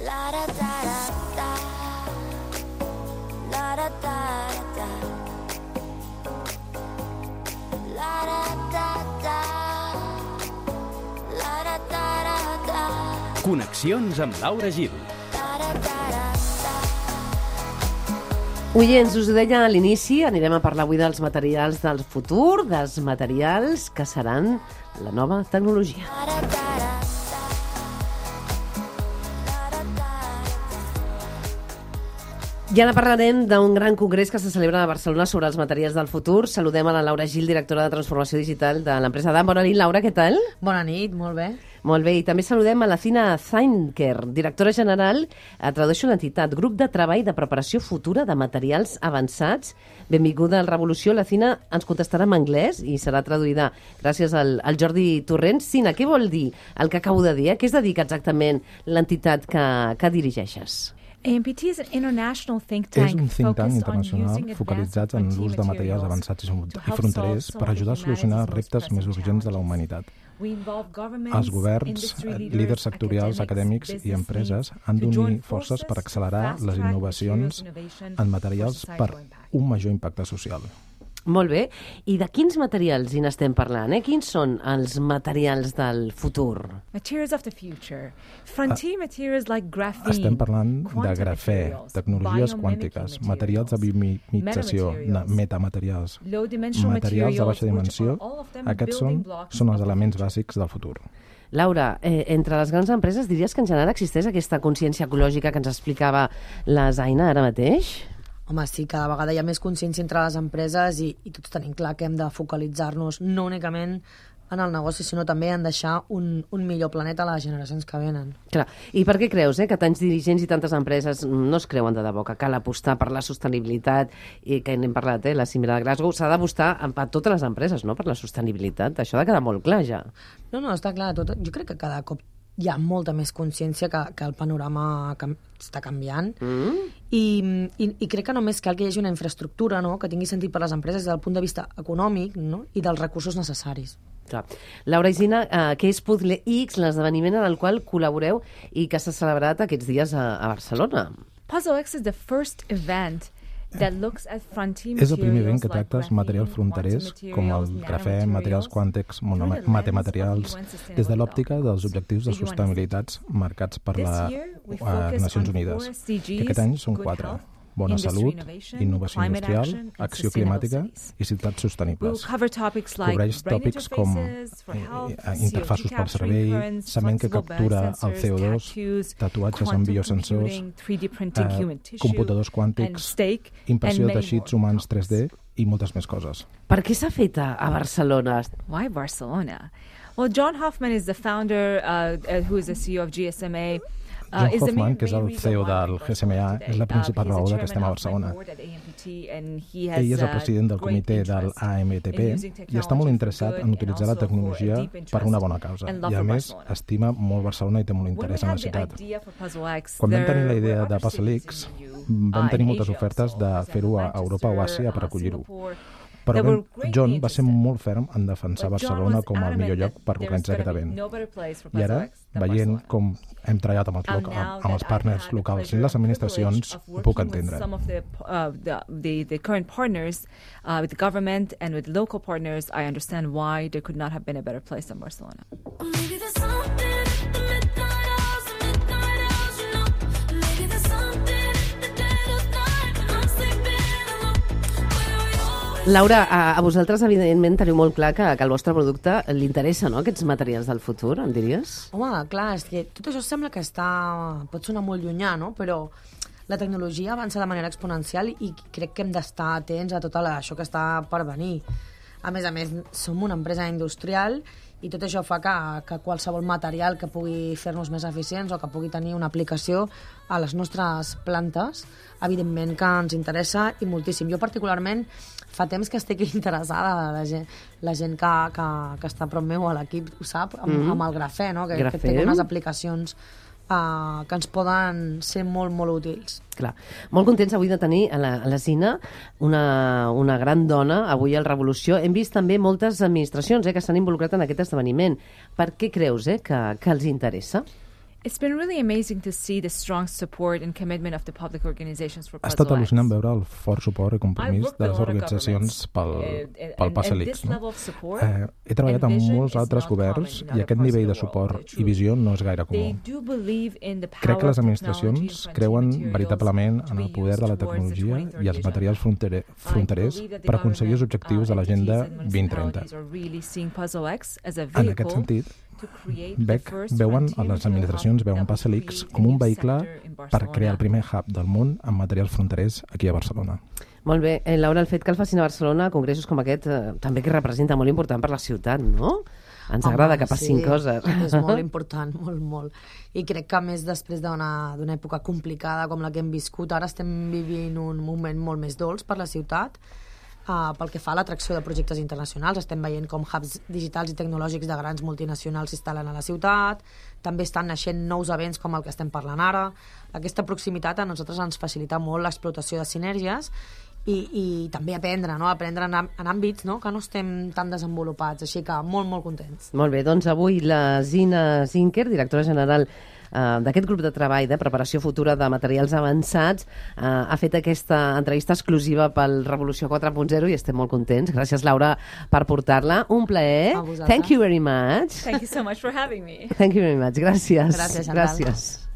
La da da da da. La da da da. La da da da. La da da da. Connexions amb Laura Gil. Oients, us ho deia a l'inici, anirem a parlar avui dels materials del futur, dels materials que seran la nova tecnologia. I ara parlarem d'un gran congrés que se celebra a Barcelona sobre els materials del futur. Saludem a la Laura Gil, directora de Transformació Digital de l'empresa DAM. Bona nit, Laura, què tal? Bona nit, molt bé. Molt bé, i també saludem a la Cina Zainker, directora general, tradueixo l'entitat, Grup de Treball de Preparació Futura de Materials Avançats. Benvinguda al Revolució. La Cina ens contestarà en anglès i serà traduïda gràcies al Jordi Torrents. Cina, què vol dir el que acabo de dir? A què es dedica exactament l'entitat que dirigeixes? AMPT és un think tank internacional focalitzat en l'ús de materials avançats i fronterers per ajudar a solucionar reptes més urgents de la humanitat. Els governs, líders sectorials, acadèmics i empreses han d'unir forces per accelerar les innovacions en materials per un major impacte social. Molt bé. I de quins materials hi n'estem parlant? Quins són els materials del futur? Estem parlant de grafè, tecnologies quàntiques, materials de biomimetització, metamaterials, materials de baixa dimensió. Aquests són els elements bàsics del futur. Laura, entre les grans empreses diries que en general existeix aquesta consciència ecològica que ens explicava la Zaina ara mateix? Home, sí, cada vegada hi ha més consciència entre les empreses i tots tenim clar que hem de focalitzar-nos no únicament en el negoci, sinó també en deixar un millor planeta a les generacions que venen. Clar. I per què creus que tants dirigents i tantes empreses no es creuen de debò que cal apostar per la sostenibilitat i que n'hem parlat, la cimera de Glasgow, s'ha d'apostar a totes les empreses, no?, per la sostenibilitat. Això ha de quedar molt clar, ja. No, està clar. Jo crec que cada cop hi ha molta més consciència que el panorama està canviant i crec que només cal que hi hagi una infraestructura, no?, que tingui sentit per les empreses des del punt de vista econòmic, no?, i dels recursos necessaris. Clar. Laura i Zina, què és Puzzle X, l'esdeveniment en el qual col·laboreu i que s'ha celebrat aquests dies a Barcelona? Puzzle X is the first event És el primer event que tracta els materials fronterers, com el grafè, materials quàntics, metamaterials, des de l'òptica dels objectius de sostenibilitat marcats per les Nacions Unides, que aquest any són 4. Bona salut, innovació industrial, acció climàtica i ciutats sostenibles. Cobreix tòpics com interfaços per servei, cement que captura el CO2, tatuatges amb biosensors, computadors quàntics, impressió de teixits humans 3D i moltes més coses. Per què s'ha fet a Barcelona? Why Barcelona? Well, John Hoffman is the founder, who is the CEO of GSMA. John Hoffman, que és el CEO del GSMA, és la principal raó que estem a Barcelona. Ell és el president del comitè del AMTP i està molt interessat en utilitzar la tecnologia per una bona causa. I a més, estima molt Barcelona i té molt interès en la ciutat. Quan vam tenir la idea de Puzzle X, vam tenir moltes ofertes de fer-ho a Europa o Àsia per acollir-ho. Però John va ser molt ferm en defensar Barcelona com el millor lloc per organitzar aquest event. I ara, veient com hem treballat amb els partners locals i les administracions, ho puc entendre. The current partners with the government and with local partners, I understand why there could not have been a better place than Barcelona. Laura, a vosaltres, evidentment, teniu molt clar que el vostre producte li interessa, no?, aquests materials del futur, em diries? Home, clar, és que tot això sembla que pot sonar molt llunyà, no?, però la tecnologia avança de manera exponencial i crec que hem d'estar atents a tot això que està per venir. A més, som una empresa industrial i tot això fa que qualsevol material que pugui fer-nos més eficients o que pugui tenir una aplicació a les nostres plantes, evidentment que ens interessa i moltíssim. Jo particularment fa temps que estic interessada, la gent que està a prop meu a l'equip ho sap, amb el grafè, no? que té unes aplicacions que ens poden ser molt, molt útils. Clar. Molt contents avui de tenir a la Zina, una gran dona, avui al Revolució. Hem vist també moltes administracions que s'han involucrat en aquest esdeveniment. Per què creus que els interessa? It's been really amazing to see the strong support and commitment of the public organizations for Ha Puzzle estat al·lucinant X. veure el fort suport i compromís de les organitzacions pel Puzzle X. No? He treballat amb molts altres governs i aquest nivell de suport i visió no és gaire comú. Crec que les administracions creuen veritablement en el poder de la tecnologia i els materials fronterers per aconseguir els objectius de l'Agenda 2030. En aquest sentit, veuen les administracions veuen Puzzle X com un vehicle per crear el primer hub del món en materials fronterers aquí a Barcelona. Molt bé. Laura, el fet que el facin a Barcelona, congressos com aquest, també que representa molt important per la ciutat, no? Ens agrada que passin coses. És molt important, molt. I crec que, a més, després d'una època complicada com la que hem viscut, ara estem vivint un moment molt més dolç per la ciutat. Pel que fa a l'atracció de projectes internacionals, estem veient com hubs digitals i tecnològics de grans multinacionals s'instal·len a la ciutat, també estan naixent nous events com el que estem parlant ara. Aquesta proximitat a nosaltres ens facilita molt l'explotació de sinergies i també aprendre en àmbits que no estem tan desenvolupats, així que molt contents. Molt bé, doncs avui la Zina Zinker, directora general d'aquest grup de treball de preparació futura de materials avançats, ha fet aquesta entrevista exclusiva pel Revolució 4.0 i estem molt contents. Gràcies, Laura, per portar-la. Un plaer. A vosaltres. Thank you very much. Thank you so much for having me. Thank you very much. Gràcies. Gràcies, Chantal. Gràcies.